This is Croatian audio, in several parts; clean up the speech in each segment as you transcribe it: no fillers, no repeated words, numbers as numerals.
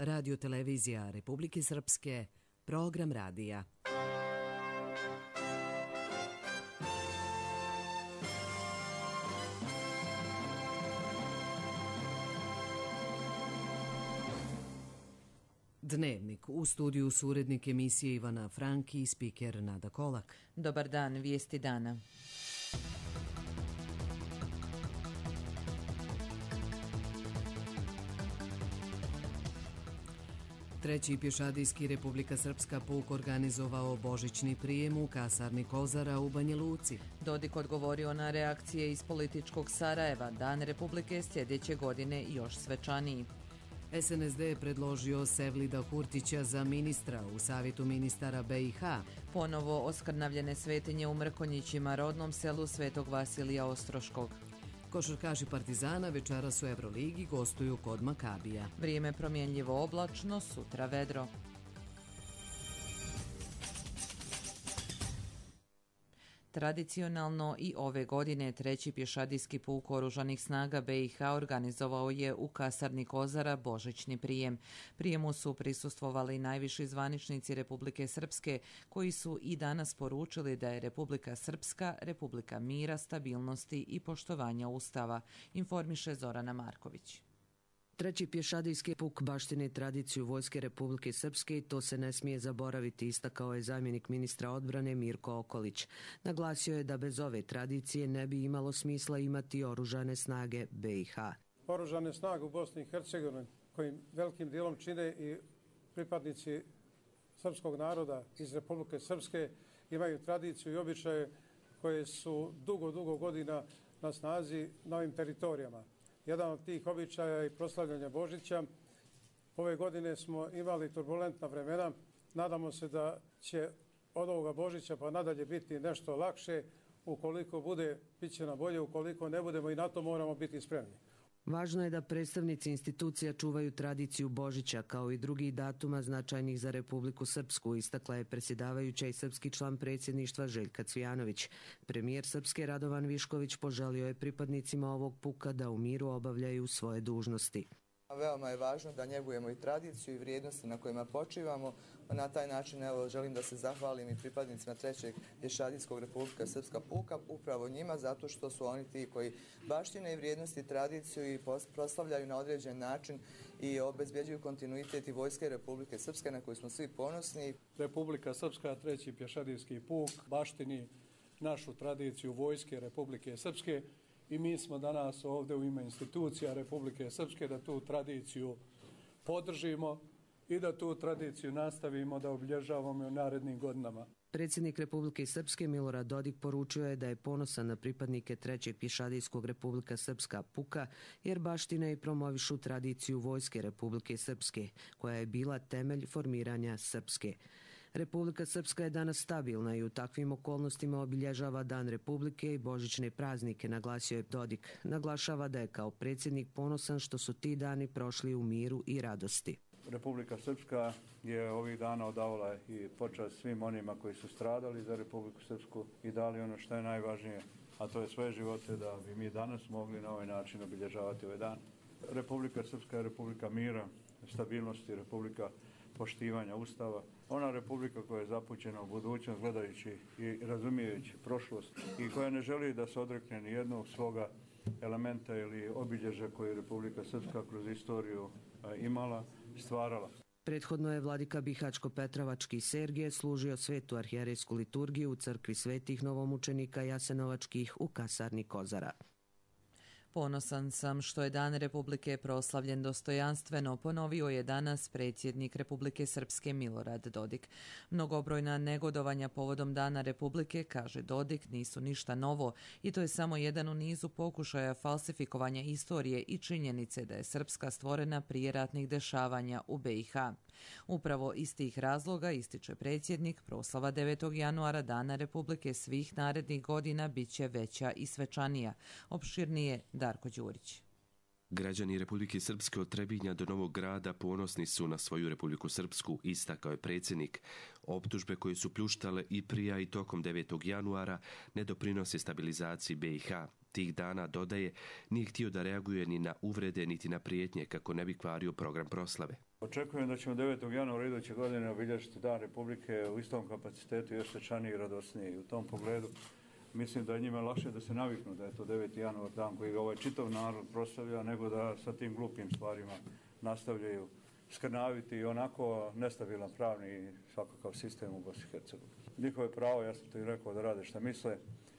Radio televizija Republike Srpske, program radija. Dnevnik. U studiju su urednik emisije Ivana Franki i spiker Nada Kolak. Dobar dan, vijesti dana. Treći pješadijski Republika Srpska puk organizovao božićni prijem u kasarni Kozara u Banja Luci. Dodik odgovorio na reakcije iz političkog Sarajeva. Dan Republike sljedeće godine još svečaniji. SNSD je predložio Sevlida Kurtića za ministra u Savjetu ministara BiH. Ponovo oskrnavljene svetinje u Mrkonjićima, rodnom selu Svetog Vasilija Ostroškog. Košarkaši Partizana večeras u Euroligi gostuju kod Makabija. Vrijeme promjenljivo oblačno, sutra vedro. Tradicionalno i ove godine treći pješadijski puk Oružanih snaga BiH organizovao je u kasarni Kozara božićni prijem. Prijemu su prisustvovali najviši zvaničnici Republike Srpske, koji su i danas poručili da je Republika Srpska Republika mira, stabilnosti i poštovanja Ustava, informiše Zorana Marković. Treći pješadijski puk baštini tradiciju Vojske Republike Srpske i to se ne smije zaboraviti, istakao je zamjenik ministra odbrane Mirko Okolić. Naglasio je da bez ove tradicije ne bi imalo smisla imati oružane snage BiH. Oružane snage u Bosni i Hercegovini, kojim velikim dijelom čine i pripadnici srpskog naroda iz Republike Srpske, imaju tradiciju i običaje koje su dugo godina na snazi na ovim teritorijama. Jedan od tih običaja je proslavljanje Božića. Ove godine smo imali turbulentna vremena. Nadamo se da će od ovoga Božića pa nadalje biti nešto lakše. Ukoliko bude, bit će nam bolje. Ukoliko ne budemo, i na to moramo biti spremni. Važno je da predstavnici institucija čuvaju tradiciju Božića kao i drugih datuma značajnih za Republiku Srpsku, istakla je predsjedavajuća i srpski član predsjedništva Željka Cvijanović. Premijer Srpske Radovan Višković poželio je pripadnicima ovog puka da u miru obavljaju svoje dužnosti. Veoma je važno da njegujemo i tradiciju i vrijednosti na kojima počivamo. Na taj način želim da se zahvalim i pripadnicima trećeg pješadijskog Republika Srpska puka, upravo njima, zato što su oni ti koji baštine i vrijednosti, tradiciju i proslavljaju na određen način i obezbjeđuju kontinuitet i Vojske Republike Srpske na koju smo svi ponosni. Republika Srpska, treći pješadijski puk, baštini našu tradiciju Vojske Republike Srpske. I mi smo danas ovdje u ime institucija Republike Srpske da tu tradiciju podržimo i da tu tradiciju nastavimo da obilježavamo u narednim godinama. Predsjednik Republike Srpske Milorad Dodik poručio je da je ponosan na pripadnike trećeg pješadijskog Republika Srpska puka jer baštine i promovišu tradiciju Vojske Republike Srpske, koja je bila temelj formiranja Srpske. Republika Srpska je danas stabilna i u takvim okolnostima obilježava Dan Republike i božićne praznike, naglasio je Dodik. Naglašava da je kao predsjednik ponosan što su ti dani prošli u miru i radosti. Republika Srpska je ovih dana odavala i počast svim onima koji su stradali za Republiku Srpsku i dali ono što je najvažnije, a to je svoje živote, da bi mi danas mogli na ovaj način obilježavati ovaj dan. Republika Srpska je Republika mira, stabilnosti, Republika poštivanja Ustava. Ona Republika koja je zapućena u budućnost gledajući i razumijejući prošlost i koja ne želi da se odrekne ni jednog svoga elementa ili obilježja koje je Republika Srpska kroz istoriju imala, stvarala. Prethodno je vladika Bihačko-Petrovački Sergije služio svetu arhijerejsku liturgiju u crkvi svetih novomučenika Jasenovačkih u kasarni Kozara. Ponosan sam što je Dan Republike proslavljen dostojanstveno, ponovio je danas predsjednik Republike Srpske Milorad Dodik. Mnogobrojna negodovanja povodom Dana Republike, kaže Dodik, nisu ništa novo i to je samo jedan u nizu pokušaja falsifikovanja istorije i činjenice da je Srpska stvorena prije ratnih dešavanja u BiH. Upravo iz tih razloga, ističe predsjednik, proslava 9. januara Dana Republike svih narednih godina bit će veća i svečanija. Opširnije Darko Đurić. Građani Republike Srpske od Trebinja do Novog Grada ponosni su na svoju Republiku Srpsku, istakao je predsjednik. Optužbe koje su pljuštale i prije i tokom 9. januara ne doprinose stabilizaciji BiH. tih dana, dodaje, nije htio da reaguje ni na uvrede niti na prijetnje kako ne bi kvario program proslave. Očekujem da ćemo 9. januara iduće godine obilježiti Dan Republike u istom kapacitetu, još svečaniji i radosniji. U tom pogledu mislim da je njima lakše da se naviknu da je to 9. januar dan koji ga ovaj čitav narod proslavlja, nego da sa tim glupim stvarima nastavljaju skrnaviti i onako nestabilan pravni i svakakav sistem u Bosni i Hercegovini. Njihovo pravo, ja sam to i rekao, da rade šta misle,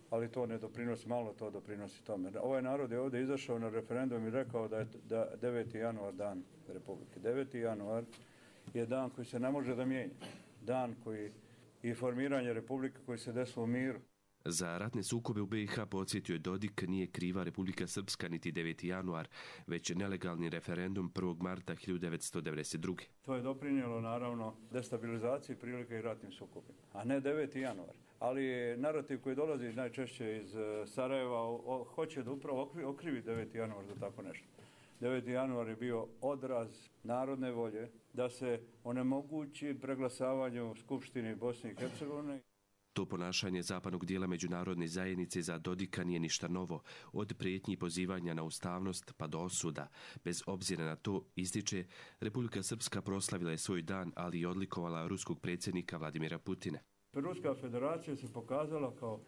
ali to ne doprinosi, malo to doprinosi tome. Ovaj narod je ovdje izašao na referendum i rekao da je 9. januar dan Republike. 9. januar je dan koji se ne može da mijenja. Dan koji i formiranje Republike koji se desilo u miru. Za ratne sukobe u BiH, podsjetio je Dodik, nije kriva Republika Srpska niti 9. januar, već nelegalni referendum 1. marta 1992. To je doprinijelo naravno destabilizaciji prilika i ratnim sukobima, a ne 9. januar. Ali narativ koji dolazi najčešće iz Sarajeva hoće da upravo okrivi 9. januar za tako nešto. 9. januar je bio odraz narodne volje da se onemogući preglasavanje u Skupštini Bosne i Hercegovine. To ponašanje zapadnog dijela međunarodne zajednice za Dodika nije ništa novo, od prijetnji i pozivanja na ustavnost pa do osuda. Bez obzira na to, ističe, Republika Srpska proslavila je svoj dan, ali i odlikovala ruskog predsjednika Vladimira Putina. Ruska federacija se pokazala kao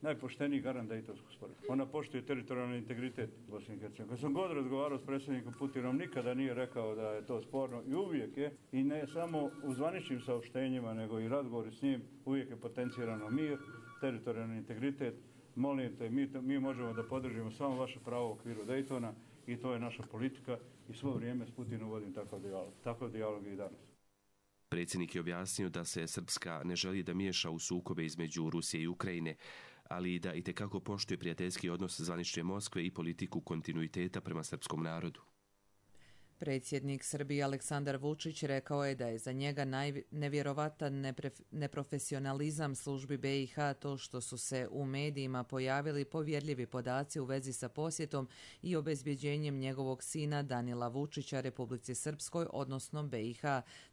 najpošteniji garant Dejtonskog sporazuma. Ona poštuje teritorijalni integritet Bosne i Hercegovine. Kad sam god razgovarao s predsjednikom Putinom, nikada nije rekao da je to sporno i uvijek je, i ne samo u zvaničnim saopštenjima, nego i razgovori s njim, uvijek je potencirano mir, teritorijalni integritet. Molim te, mi možemo da podržimo samo vaše pravo u okviru Dejtona i to je naša politika i svo vrijeme s Putinom vodim takav dijalog. Takav dijalog i danas. Predsjednik je objasnio da se Srpska ne želi da miješa u sukobe između Rusije i Ukrajine, ali i da itekako poštuje prijateljski odnos zvanične Moskve i politiku kontinuiteta prema srpskom narodu. Predsjednik Srbije Aleksandar Vučić rekao je da je za njega nevjerovatan neprofesionalizam službi BiH to što su se u medijima pojavili povjerljivi podaci u vezi sa posjetom i obezbjeđenjem njegovog sina Danila Vučića Republici Srpskoj, odnosno BiH,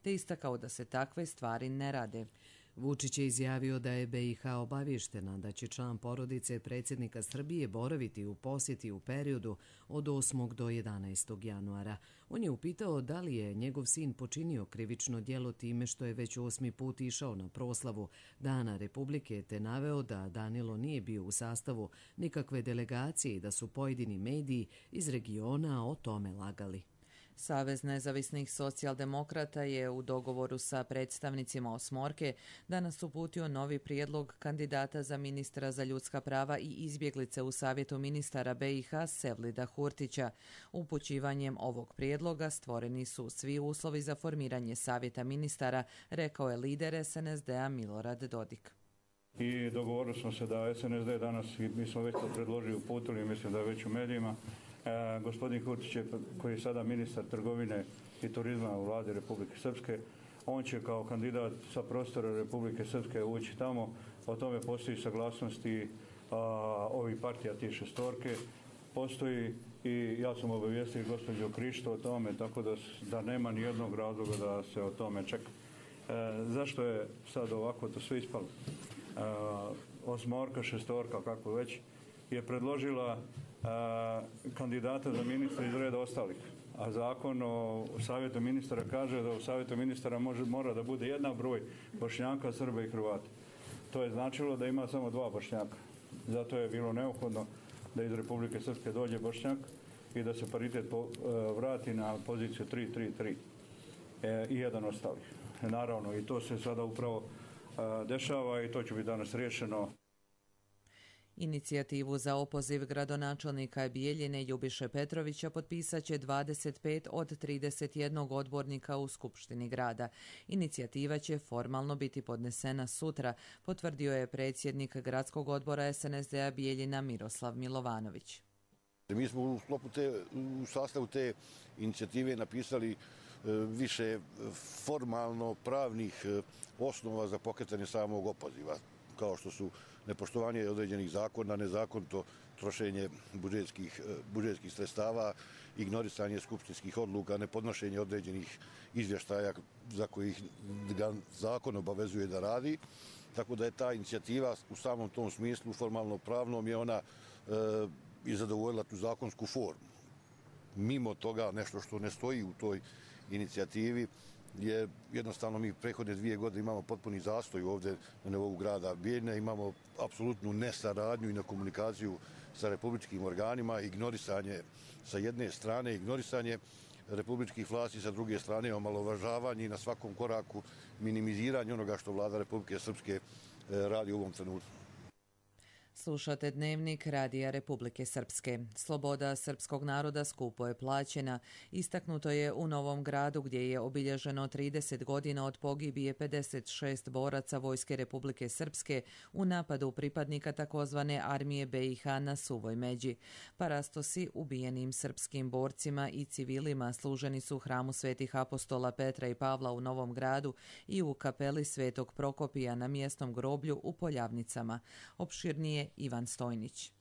te istakao da se takve stvari ne rade. Vučić je izjavio da je BiH obavještena da će član porodice predsjednika Srbije boraviti u posjeti u periodu od 8. do 11. januara. On je upitao da li je njegov sin počinio krivično djelo time što je već 8. put išao na proslavu Dana Republike, te naveo da Danilo nije bio u sastavu nikakve delegacije i da su pojedini mediji iz regiona o tome lagali. Savez nezavisnih socijaldemokrata je u dogovoru sa predstavnicima Osmorke danas uputio novi prijedlog kandidata za ministra za ljudska prava i izbjeglice u Savjetu ministara BiH Sevlida Hurtića. Upućivanjem ovog prijedloga stvoreni su svi uslovi za formiranje Savjeta ministara, rekao je lider SNSD-a Milorad Dodik. I dogovorili smo se da SNSD danas, mi smo već to predložili, uputili, mislim da je već u medijima, gospodin Hurtić je, koji je sada ministar trgovine i turizma u vladi Republike Srpske, on će kao kandidat sa prostora Republike Srpske ući tamo. O tome postoji saglasnosti ovih partija tih šestorke. Postoji i ja sam obavijestio gospođu Krišto o tome, tako da nema ni jednog razloga da se o tome čeka. Zašto je sad ovako to sve ispalo? Osmorka, šestorka, kako već, je predložila kandidata za ministra iz reda ostalih. A zakon o Savjetu ministara kaže da u Savjetu ministara mora da bude jednak broj Bošnjaka, Srba i Hrvata. To je značilo da ima samo 2 Bošnjaka. Zato je bilo neophodno da iz Republike Srpske dođe Bošnjak i da se paritet vrati na poziciju 3-3-3 i jedan ostalih. Naravno, i to se sada upravo dešava i to će biti danas riješeno. Inicijativu za opoziv gradonačelnika Bijeljine Ljubiše Petrovića potpisat će 25 od 31 odbornika u Skupštini grada. Inicijativa će formalno biti podnesena sutra, potvrdio je predsjednik gradskog odbora SNSD-a Bijeljina Miroslav Milovanović. Mi smo u sastavu te inicijative napisali više formalno pravnih osnova za pokretanje samog opoziva, kao što su nepoštovanje određenih zakona, nezakonito trošenje budžetskih sredstava, ignorisanje skupštinskih odluka, nepodnošenje određenih izvještaja za kojih ga zakon obavezuje da radi. Tako da je ta inicijativa u samom tom smislu formalno pravnom je ona i zadovoljila tu zakonsku formu. Mimo toga, nešto što ne stoji u toj inicijativi, je jednostavno mi prethodne 2 godine imamo potpuni zastoj ovdje na nivou grada Bijeljine, imamo apsolutnu nesaradnju i nekomunikaciju sa republičkim organima, ignorisanje sa jedne strane, ignorisanje republičkih vlasti, sa druge strane omalovažavanje i na svakom koraku minimiziranje onoga što vlada Republike Srpske radi u ovom trenutku. Slušate Dnevnik Radija Republike Srpske. Sloboda srpskog naroda skupo je plaćena. Istaknuto je u Novom Gradu gdje je obilježeno 30 godina od pogibije 56 boraca Vojske Republike Srpske u napadu pripadnika takozvane armije BiH na Suvoj Međi. Parastosi ubijenim srpskim borcima i civilima služeni su u hramu Svetih apostola Petra i Pavla u Novom Gradu i u kapeli Svetog Prokopija na mjesnom groblju u Poljavnicama. Opširnije Ivan Stojnić.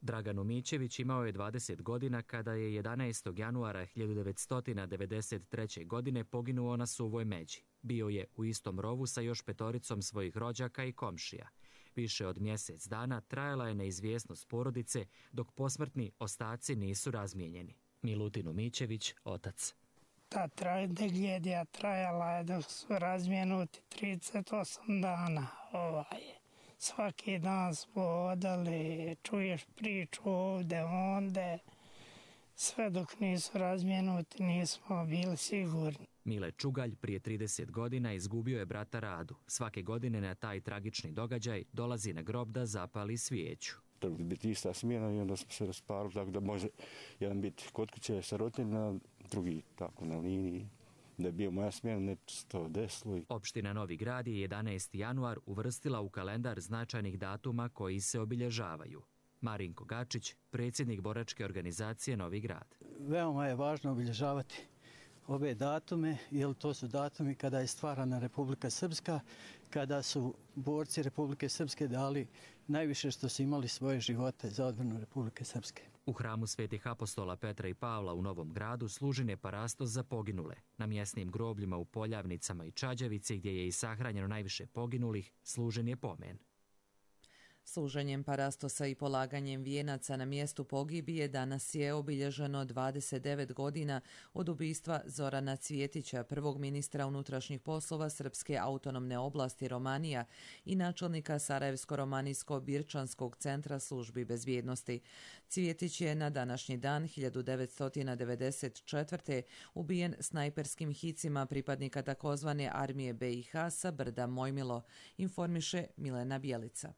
Dragan Umićević imao je 20 godina kada je 11. januara 1993. godine poginuo na Suvoj Međi. Bio je u istom rovu sa još 5 svojih rođaka i komšija. Više od mjesec dana trajala je neizvjesnost porodice dok posmrtni ostaci nisu razmijenjeni. Milutin Umićević, otac. Ta tragedija trajala je dok su razmijenuti 38 dana. Svaki dan smo odali, čuješ priču ovdje, onda, sve dok nisu razmijenuti nismo bili sigurni. Mile Čugalj prije 30 godina izgubio je brata Radu. Svake godine na taj tragični događaj dolazi na grob da zapali svijeću. Trebali biti ista smjena i onda smo se rasparili, tako da može jedan biti kod kuće sa roditeljima, drugi tako na liniji. Da je bio moja smjena, ne to desilo. Opština Novi Grad je 11. januar uvrstila u kalendar značajnih datuma koji se obilježavaju. Marinko Gačić, predsjednik boračke organizacije Novi Grad. Veoma je važno obilježavati ove datume, jer to su datumi kada je stvarana Republika Srpska, kada su borci Republike Srpske dali najviše što su imali svoje živote za odbranu Republike Srpske. U hramu Svetih apostola Petra i Pavla u Novom Gradu služen je parastos za poginule. Na mjesnim grobljima u Poljavnicama i Čađavici, gdje je i sahranjeno najviše poginulih, služen je pomen. Služenjem parastosa i polaganjem vijenaca na mjestu pogibije danas je obilježeno 29 godina od ubistva Zorana Cvjetića, prvog ministra unutrašnjih poslova Srpske autonomne oblasti Romanija i načelnika Sarajevsko-Romanijsko-Birčanskog centra službi bezbjednosti. Cvjetić je na današnji dan 1994. ubijen snajperskim hicima pripadnika takozvane armije BiH sa brda Mojmilo, informiše Milena Bjelica.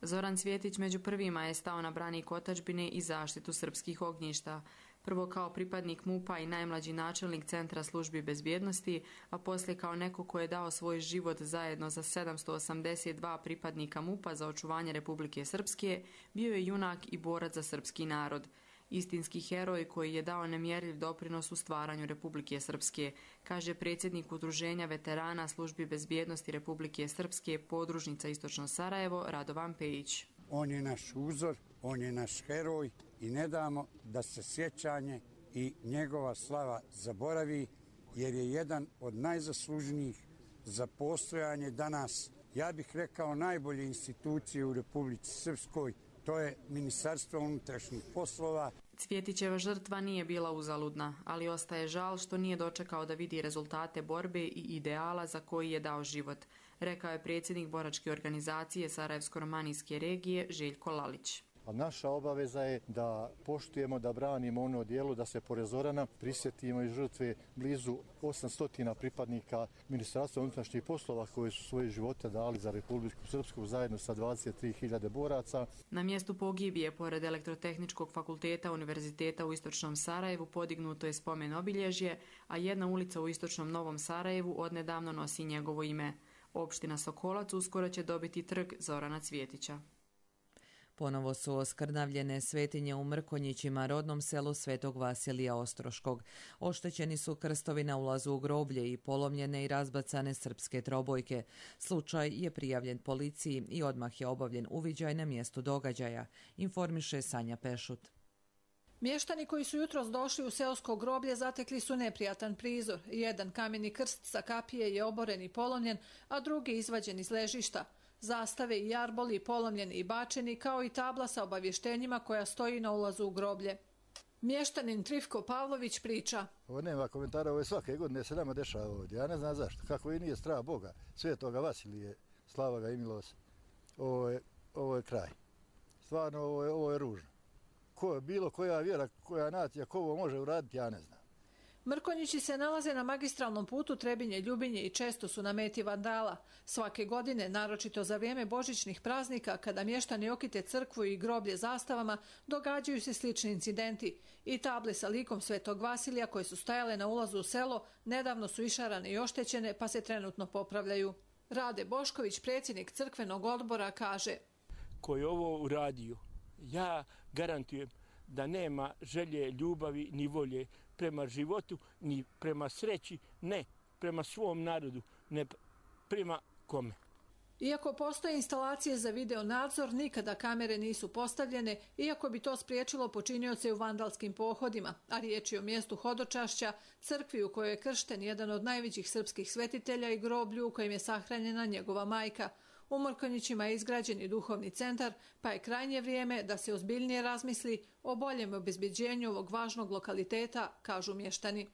Zoran Cvjetić među prvima je stao na branik otadžbine i zaštitu srpskih ognjišta. Prvo kao pripadnik MUP-a i najmlađi načelnik Centra službi bezbjednosti, a poslije kao neko ko je dao svoj život zajedno za 782 pripadnika MUP-a za očuvanje Republike Srpske, bio je junak i borac za srpski narod. Istinski heroj koji je dao nemjerljiv doprinos u stvaranju Republike Srpske, kaže predsjednik Udruženja veterana službi bezbjednosti Republike Srpske podružnica Istočno Sarajevo Radovan Pejić. On je naš uzor, on je naš heroj i ne damo da se sjećanje i njegova slava zaboravi, jer je jedan od najzaslužnijih za postojanje danas, ja bih rekao, najbolje institucije u Republici Srpskoj. To je Ministarstvo unutrašnjih poslova. Cvjetićeva žrtva nije bila uzaludna, ali ostaje žal što nije dočekao da vidi rezultate borbe i ideala za koji je dao život, rekao je predsjednik boračke organizacije Sarajevsko-Romanijske regije Željko Lalić. A naša obaveza je da poštujemo, da branimo ono dijelo, da se pored Zorana prisjetimo i žrtve blizu 800 pripadnika Ministarstva unutrašnjih poslova koji su svoje živote dali za Republiku Srpsku zajedno sa 23.000 boraca. Na mjestu pogibije, pored Elektrotehničkog fakulteta Univerziteta u Istočnom Sarajevu, podignuto je spomen obilježje, a jedna ulica u Istočnom Novom Sarajevu odnedavno nosi njegovo ime. Opština Sokolac uskoro će dobiti trg Zorana Cvjetića. Ponovo su oskrnavljene svetinje u Mrkonjićima, rodnom selu Svetog Vasilija Ostroškog. Oštećeni su krstovi na ulazu u groblje i polomljene i razbacane srpske trobojke. Slučaj je prijavljen policiji i odmah je obavljen uviđaj na mjestu događaja, informiše Sanja Pešut. Mještani koji su jutros došli u seosko groblje zatekli su neprijatan prizor. Jedan kameni krst sa kapije je oboren i polomljen, a drugi izvađen iz ležišta. zastave i jarboli polomljeni i bačeni, kao i tabla sa obavještenjima koja stoji na ulazu u groblje. Mještanin Trifko Pavlović priča. Ovo nema komentara, ovo je svake godine se nama dešava ovdje. Ja ne znam zašto, kako i nije strah Boga, Svetoga Vasilije, slava ga i milost. Ovo je kraj. Stvarno, ovo je ružno. Bilo koja vjera, koja nacija, ko ovo može uraditi, ja ne znam. Mrkonjići se nalaze na magistralnom putu Trebinje-Ljubinje i često su na meti vandala. Svake godine, naročito za vrijeme božićnih praznika, kada mještani okite crkvu i groblje zastavama, događaju se slični incidenti. I table sa likom Svetog Vasilija koje su stajale na ulazu u selo nedavno su išarane i oštećene, pa se trenutno popravljaju. Rade Bošković, predsjednik crkvenog odbora, kaže: Ko je ovo uradio, ja garantujem da nema želje, ljubavi ni volje prema životu, ni prema sreći, ne prema svom narodu, ne prema kome. Iako postoje instalacije za video nadzor, nikada kamere nisu postavljene, iako bi to spriječilo počinioce u vandalskim pohodima, a riječ je o mjestu hodočašća, crkvi u kojoj je kršten jedan od najvećih srpskih svetitelja i groblju u kojem je sahranjena njegova majka. U Mrkonjićima je izgrađen i duhovni centar, pa je krajnje vrijeme da se ozbiljnije razmisli o boljem obezbeđenju ovog važnog lokaliteta, kažu mještani.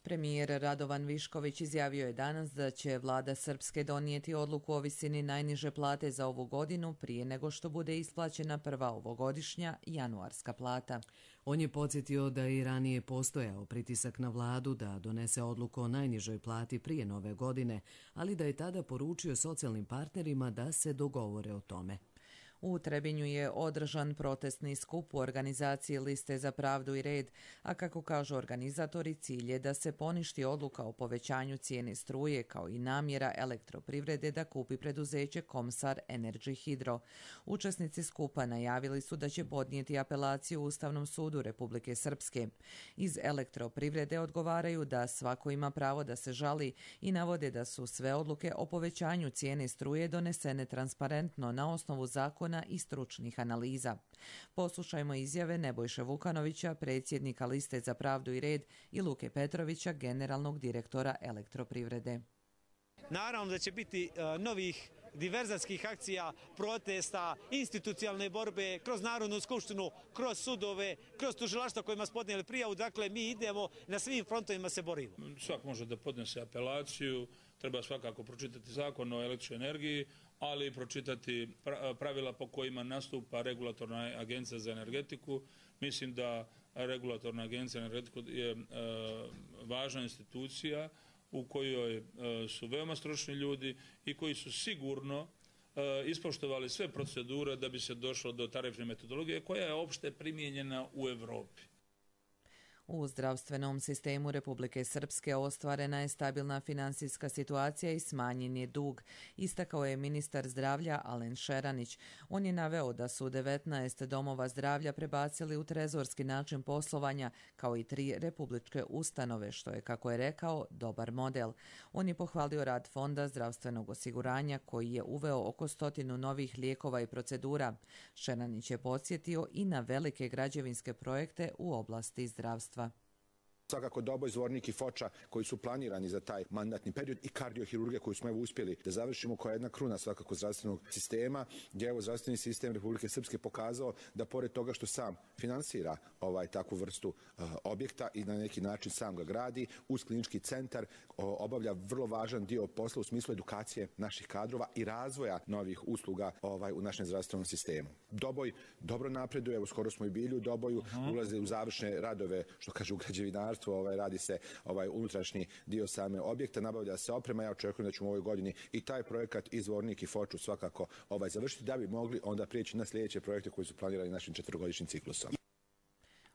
Premijer Radovan Višković izjavio je danas da će vlada Srpske donijeti odluku o visini najniže plate za ovu godinu prije nego što bude isplaćena prva ovogodišnja januarska plata. On je podsjetio da je i ranije postojao pritisak na vladu da donese odluku o najnižoj plati prije nove godine, ali da je tada poručio socijalnim partnerima da se dogovore o tome. U Trebinju je održan protestni skup u organizaciji Liste za pravdu i red, a kako kažu organizatori, cilj je da se poništi odluka o povećanju cijene struje kao i namjera elektroprivrede da kupi preduzeće Komsar Energy Hydro. Učesnici skupa najavili su da će podnijeti apelaciju Ustavnom sudu Republike Srpske. Iz elektroprivrede odgovaraju da svako ima pravo da se žali i navode da su sve odluke o povećanju cijene struje donesene transparentno na osnovu zakona i stručnih analiza. Poslušajmo izjave Nebojše Vukanovića, predsjednika Liste za pravdu i red, i Luke Petrovića, generalnog direktora elektroprivrede. Naravno da će biti novih diverzatskih akcija, protesta, institucionalne borbe, kroz Narodnu skupštinu, kroz sudove, kroz tužilaštva kojima smo podnijeli prijavu. Dakle, mi idemo na svim frontovima se borimo. Svak može da podnese apelaciju, treba svakako pročitati zakon o električnoj energiji, ali i pročitati pravila po kojima nastupa Regulatorna agencija za energetiku. Mislim da Regulatorna agencija za energetiku je važna institucija u kojoj su veoma stručni ljudi i koji su sigurno ispoštovali sve procedure da bi se došlo do tarifne metodologije koja je opšte primijenjena u Evropi. U zdravstvenom sistemu Republike Srpske ostvarena je stabilna finansijska situacija i smanjen je dug, istakao je ministar zdravlja Alen Šeranić. On je naveo da su 19 domova zdravlja prebacili u trezorski način poslovanja, kao i 3 republičke ustanove, što je, kako je rekao, dobar model. On je pohvalio rad Fonda zdravstvenog osiguranja, koji je uveo oko 100 novih lijekova i procedura. Šeranić je podsjetio i na velike građevinske projekte u oblasti zdravstva. Svakako Doboj, Zvornik i Foča koji su planirani za taj mandatni period i kardiohirurgije koju smo uspjeli da završimo, koja je jedna kruna svakako zdravstvenog sistema, gdje je zdravstveni sistem Republike Srpske pokazao da pored toga što sam finansira takvu vrstu objekta i na neki način sam ga gradi, uz klinički centar obavlja vrlo važan dio posla u smislu edukacije naših kadrova i razvoja novih usluga u našem zdravstvenom sistemu. Doboj dobro napreduje, evo skoro smo i bili u Doboju, ulaze u završne radove, što kaže u građevinarstvu, radi se unutrašnji dio same objekta, nabavlja se oprema. Ja očekujem da ćemo u ovoj godini i taj projekat i Zvornik i Foču svakako završiti, da bi mogli onda prijeći na sljedeće projekte koji su planirani našim 4-godišnjim ciklusom.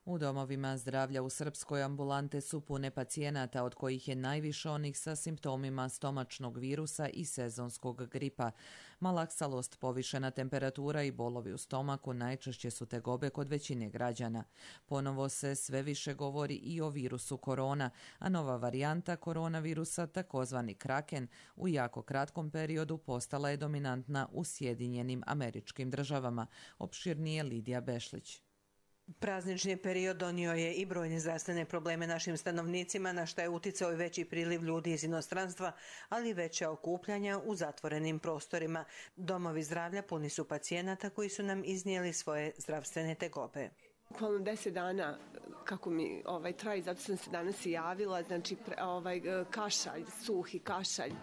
U domovima zdravlja u Srpskoj ambulante su pune pacijenata, od kojih je najviše onih sa simptomima stomačnog virusa i sezonskog gripa. Malaksalost, povišena temperatura i bolovi u stomaku najčešće su tegobe kod većine građana. Ponovo se sve više govori i o virusu korona, a nova varijanta koronavirusa, takozvani Kraken, u jako kratkom periodu postala je dominantna u Sjedinjenim Američkim Državama. Opširnije Lidija Bešlić. Praznični period donio je i brojne zdravstvene probleme našim stanovnicima, na što je uticao i veći priliv ljudi iz inostranstva, ali i veća okupljanja u zatvorenim prostorima. Domovi zdravlja puni su pacijenata koji su nam iznijeli svoje zdravstvene tegobe. Bukvalno 10 dana kako mi traji, zato sam se danas i javila, znači kašalj, suhi kašalj,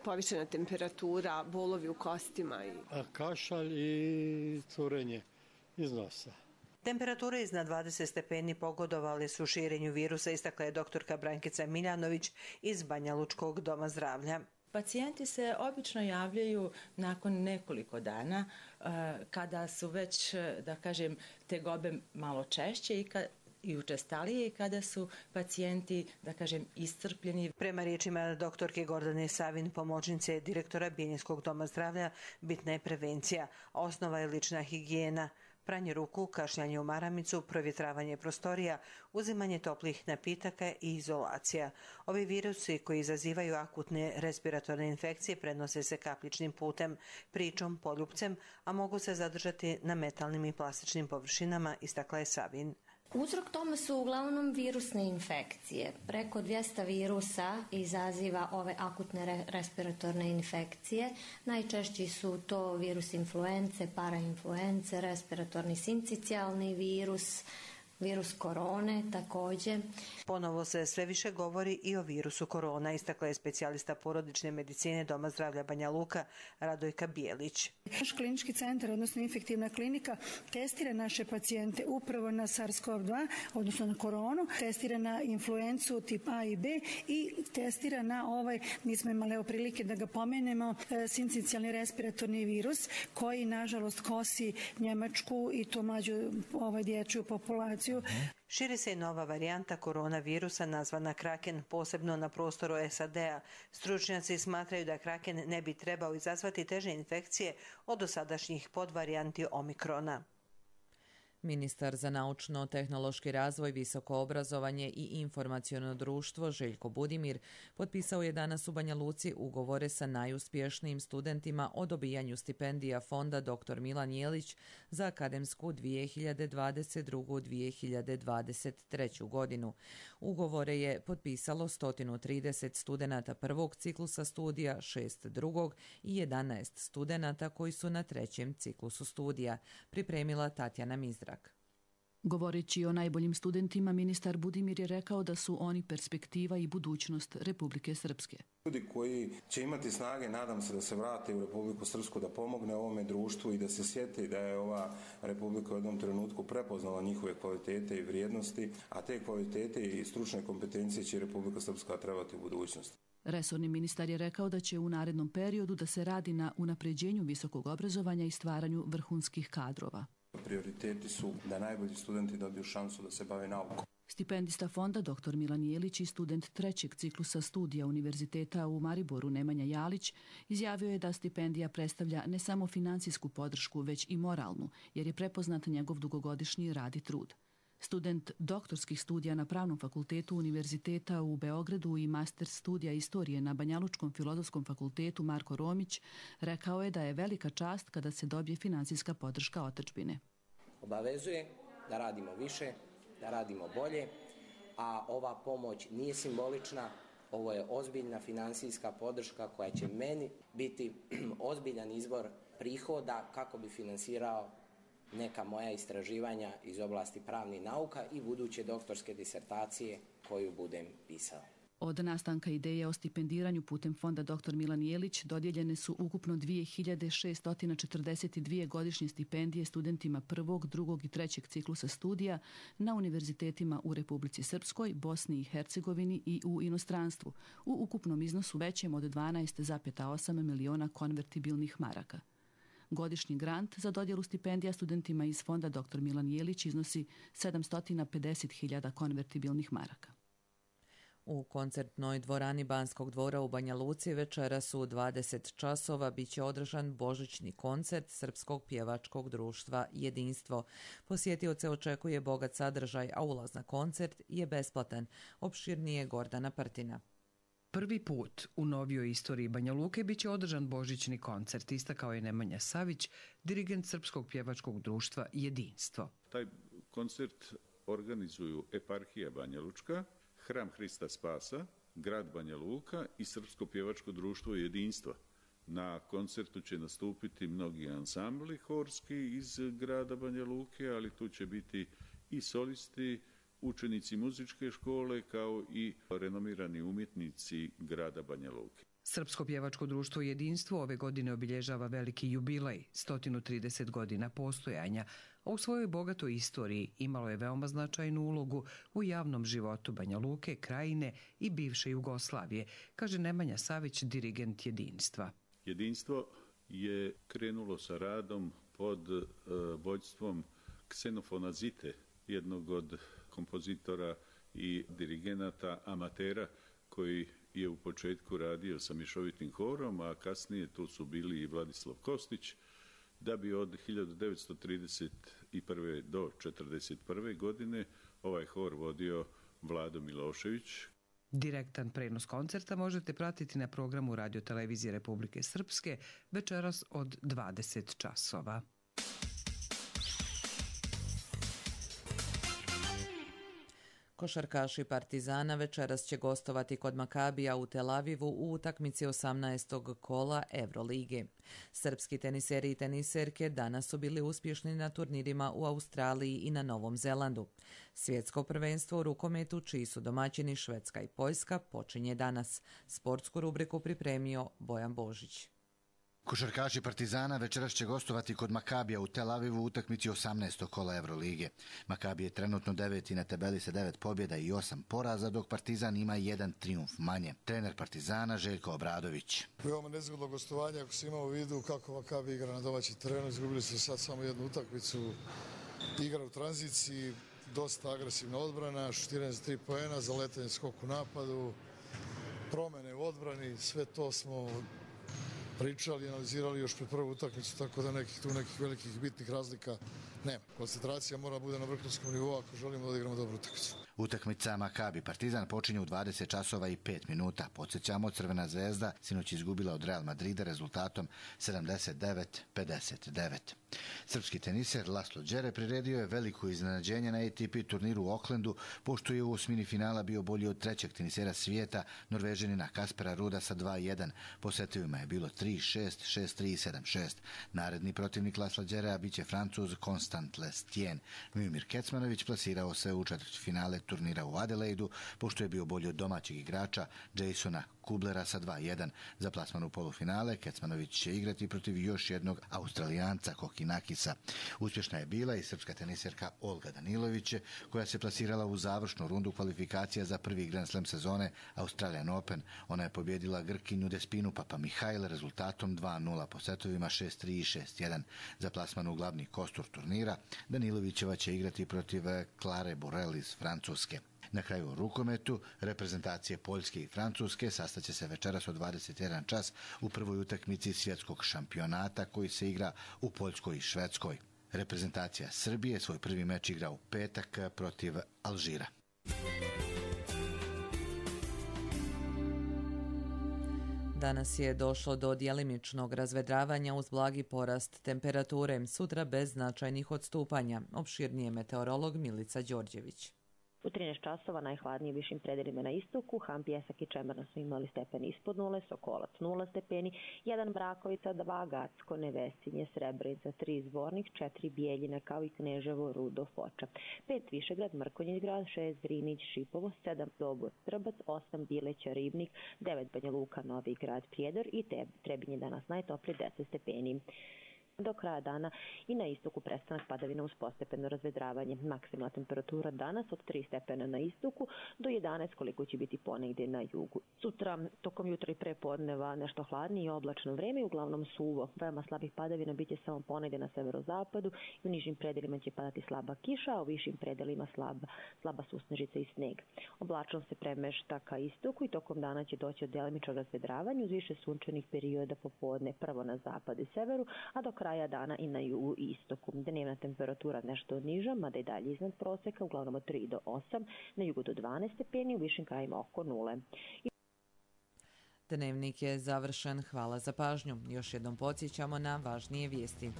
povišena temperatura, bolovi u kostima. Kašalj i curenje iz nosa. Temperature iznad 20 stepeni pogodovale su širenju virusa, istakla je doktorka Brankica Miljanović iz Banja Lučkog doma zdravlja. Pacijenti se obično javljaju nakon nekoliko dana kada su već, da kažem, tegobe malo češće i učestalije i kada su pacijenti, da kažem, iscrpljeni. Prema riječima doktorke Gordane Savin, pomoćnice direktora Bijeljinskog doma zdravlja, bitna je prevencija. Osnova je lična higijena. Pranje ruku, kašljanje u maramicu, provjetravanje prostorija, uzimanje toplih napitaka i izolacija. Ovi virusi koji izazivaju akutne respiratorne infekcije prenose se kapljičnim putem, pričom, poljupcem, a mogu se zadržati na metalnim i plastičnim površinama, istakla je Savin. Uzrok tome su uglavnom virusne infekcije. Preko 200 virusa izaziva ove akutne respiratorne infekcije. Najčešći su to virus influence, parainfluence, respiratorni sincicijalni virus, virus korone također. Ponovo se sve više govori i o virusu korona, istakla je specijalista porodične medicine Doma zdravlja Banja Luka Radojka Bijelić. Naš klinički centar, odnosno infektivna klinika, testira naše pacijente upravo na SARS-CoV-2, odnosno na koronu, testira na influencu tip A i B i testira na nismo imali prilike da ga pomenemo, sincicijalni respiratorni virus koji nažalost kosi Njemačku i to mlađu dječju populaciju. Širi se i nova varijanta koronavirusa nazvana Kraken, posebno na prostoru SAD-a. Stručnjaci smatraju da Kraken ne bi trebao izazvati teže infekcije od dosadašnjih podvarijanti Omikrona. Ministar za naučno-tehnološki razvoj, visoko obrazovanje i informaciono društvo Željko Budimir potpisao je danas u Banja Luci ugovore sa najuspješnijim studentima o dobijanju stipendija Fonda dr. Milan Jelić za akademsku 2022-2023. godinu. Ugovore je potpisalo 130 studenata prvog ciklusa studija, 6 drugog i 11 studenata koji su na trećem ciklusu studija, pripremila Tatjana Mizdrak. Govoreći o najboljim studentima, ministar Budimir je rekao da su oni perspektiva i budućnost Republike Srpske. Ljudi koji će imati snage, nadam se, da se vrate u Republiku Srpsku, da pomogne ovome društvu i da se sjeti da je ova Republika u jednom trenutku prepoznala njihove kvalitete i vrijednosti, a te kvalitete i stručne kompetencije će Republika Srpska trebati u budućnosti. Resorni ministar je rekao da će u narednom periodu da se radi na unapređenju visokog obrazovanja i stvaranju vrhunskih kadrova. Prioriteti su da najbolji studenti dobiju šansu da se bave naukom. Stipendista fonda dr. Milan Jelić i student trećeg ciklusa studija Univerziteta u Mariboru Nemanja Jalić izjavio je da stipendija predstavlja ne samo finansijsku podršku, već i moralnu, jer je prepoznat njegov dugogodišnji rad i trud. Student doktorskih studija na Pravnom fakultetu Univerziteta u Beogradu i master studija istorije na Banjalučkom filozofskom fakultetu Marko Romić rekao je da je velika čast kada se dobije finansijska podrška otadžbine. Obavezuje da radimo više, da radimo bolje, a ova pomoć nije simbolična, ovo je ozbiljna finansijska podrška koja će meni biti ozbiljan izvor prihoda kako bi finansirao neka moja istraživanja iz oblasti pravnih nauka i buduće doktorske disertacije koju budem pisao. Od nastanka ideje o stipendiranju putem fonda dr. Milan Jelić dodijeljene su ukupno 2642 godišnje stipendije studentima prvog, drugog i trećeg ciklusa studija na univerzitetima u Republici Srpskoj, Bosni i Hercegovini i u inostranstvu, u ukupnom iznosu većem od 12,8 miliona konvertibilnih maraka. Godišnji grant za dodjelu stipendija studentima iz fonda dr. Milan Jelić iznosi 750.000 konvertibilnih maraka. U koncertnoj dvorani Banskog dvora u Banja Luci večeras u 20 časova biće održan božićni koncert Srpskog pjevačkog društva Jedinstvo. Posjetioce očekuje bogat sadržaj, a ulaz na koncert je besplatan. Opširnije Gordana Partina. Prvi put u novijoj istoriji Banja Luke biće održan božićni koncert, istakao je Nemanja Savić, dirigent Srpskog pjevačkog društva Jedinstvo. Taj koncert organizuju Eparhija Banja Lučka, Hram Hrista Spasa, Grad Banja Luka i Srpsko pjevačko društvo Jedinstva. Na koncertu će nastupiti mnogi ansambli horski iz grada Banja Luke, ali tu će biti i solisti, učenici muzičke škole kao i renomirani umjetnici grada Banja Luke. Srpsko pjevačko društvo Jedinstvo ove godine obilježava veliki jubilej, 130 godina postojanja, a u svojoj bogatoj istoriji imalo je veoma značajnu ulogu u javnom životu Banja Luke, Krajine i bivše Jugoslavije, kaže Nemanja Savić, dirigent Jedinstva. Jedinstvo je krenulo sa radom pod vođstvom Ksenofona Zite, jednog od kompozitora i dirigenata amatera koji je u početku radio sa mješovitim horom, a kasnije tu su bili i Vladislav Kostić, da bi od 1931. do 1941. godine ovaj hor vodio Vlado Milošević. Direktan prenos koncerta možete pratiti na programu Radio-televizije Republike Srpske večeras od 20 časova. Košarkaši Partizana večeras će gostovati kod Makabija u Tel Avivu u utakmici 18. kola Evrolige. Srpski teniseri i teniserke danas su bili uspješni na turnirima u Australiji i na Novom Zelandu. Svjetsko prvenstvo u rukometu, čiji su domaćini Švedska i Poljska, počinje danas. Sportsku rubriku pripremio Bojan Božić. Košarkaši Partizana večeras će gostovati kod Makabija u Tel Avivu u utakmici 18. kola Evrolige. Makabi je trenutno 9. na tabeli sa 9 pobjeda i 8 poraza, dok Partizan ima 1 trijumf manje. Trener Partizana Željko Obradović. Veoma nezgodno gostovanje, ako se ima u vidu kako Makabi igra na domaći terenu. Izgubili su sad samo jednu utakmicu, igra u tranziciji, dosta agresivna odbrana, šutiranje za 3 poena, zaletanje skok u napadu, promjene u odbrani, sve to smo pričali i analizirali još pred prvu utakmicu, tako da nekih velikih bitnih razlika nema. Koncentracija mora bude na vrhunskom nivou ako želimo da odigramo dobru utakmicu. Utakmica Makabi Partizan počinje u 20 časova i 5 minuta. Podsjećamo, Crvena zvezda sinoć izgubila od Real Madrida rezultatom 79-59. Srpski teniser Laslo Đere priredio je veliko iznenađenje na ATP turniru u Aucklandu, pošto je u osmini finala bio bolji od trećeg tenisera svijeta, Norvežanina Kaspera Ruda sa 2-1. Po setovima je bilo 3-6, 6-3 i 7-6. Naredni protivnik Lasla Đerea biće Francuz Constant Lestien. Miomir Kecmanović plasirao se u četvrtfinale turnira u Adelaidu, pošto je bio bolji od domaćeg igrača Jasona Kublera sa 2-1. Za plasman u polufinale Kecmanović će igrati protiv još jednog Australijanca Kokinakisa. Uspješna je bila i srpska teniserka Olga Danilović, koja se plasirala u završnu rundu kvalifikacija za prvi Grand Slam sezone Australian Open. Ona je pobjedila Grkinju Despinu Papamihajl rezultatom 2-0 po setovima 6-3 i 6-1. Za plasman u glavni kostur turnira Danilovićeva će igrati protiv Klare Borel iz Francuske. Na kraju u rukometu reprezentacije Poljske i Francuske sastaće se večeras od 21 čas u prvoj utakmici svjetskog šampionata koji se igra u Poljskoj i Švedskoj. Reprezentacija Srbije svoj prvi meč igra u petak protiv Alžira. Danas je došlo do djelimičnog razvedravanja uz blagi porast temperature, sutra bez značajnih odstupanja. Opširnije meteorolog Milica Đorđević. U 13 časova najhladnije višim predelima na istoku, Ham, Pjesak i Čemerna su imali stepeni ispod nule, Sokolac 0 stepeni, 1 Brakovica, 2 Gacko, Nevesinje, Srebrenica, 3 Zvornik, 4 Bijeljina kao i Kneževo, Rudo, Foča, 5 Višegrad, Mrkonjić grad, 6 Drinić, Šipovo, 7 Dobor, Trbac, 8 Bileća, Ribnik, 9 Banja Luka, Novi grad, Prijedor i Trebinje danas najtoplije 10 stepeni. Do kraja dana i na istoku prestanak padavina uz postepeno razvedravanje. Maksimalna temperatura danas od 3 stepena na istoku do 11 koliko će biti ponegdje na jugu. Sutra tokom jutra i prepodneva nešto hladnije i oblačno vreme, uglavnom suvo. Veoma slabih padavina biće samo ponegdje na severozapadu i u nižim predelima će padati slaba kiša, a u višim predelima slaba susnežica i sneg. Oblačnost se premešta ka istoku i tokom dana će doći od djelimičnog razvedravanja uz više sunčanih perioda popodne, prvo na zapadu i severu, a do kraja dana i na jugu i istoku. Dnevna temperatura nešto niža, mada i dalje iznad proseka, uglavnom od 3 do 8, na jugu do 12 stepeni, u višim krajima oko 0. Dnevnik je završen. Hvala za pažnju. Još jednom podsjećamo na važnije vijesti.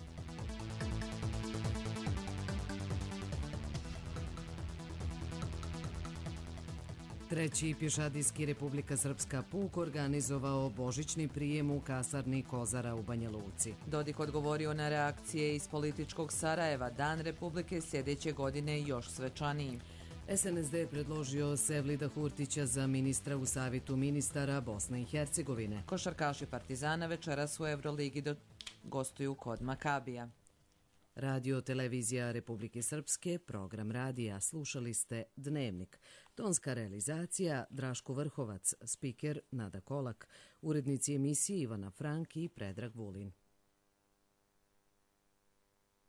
Treći pješadijski Republika Srpska puk organizovao božićni prijem u kasarni Kozara u Banja Luci. Dodik odgovorio na reakcije iz političkog Sarajeva. Dan Republike sljedeće godine još svečaniji. SNSD predložio Sevlida Hurtića za ministra u Savetu ministara Bosne i Hercegovine. Košarkaši Partizana večeras u Euroligi gostuju kod Makabija. Radio televizija Republike Srpske, program radija, slušali ste Dnevnik. Tonska realizacija Draško Vrhovac, spiker Nada Kolak, urednici emisije Ivana Frank i Predrag Vulin.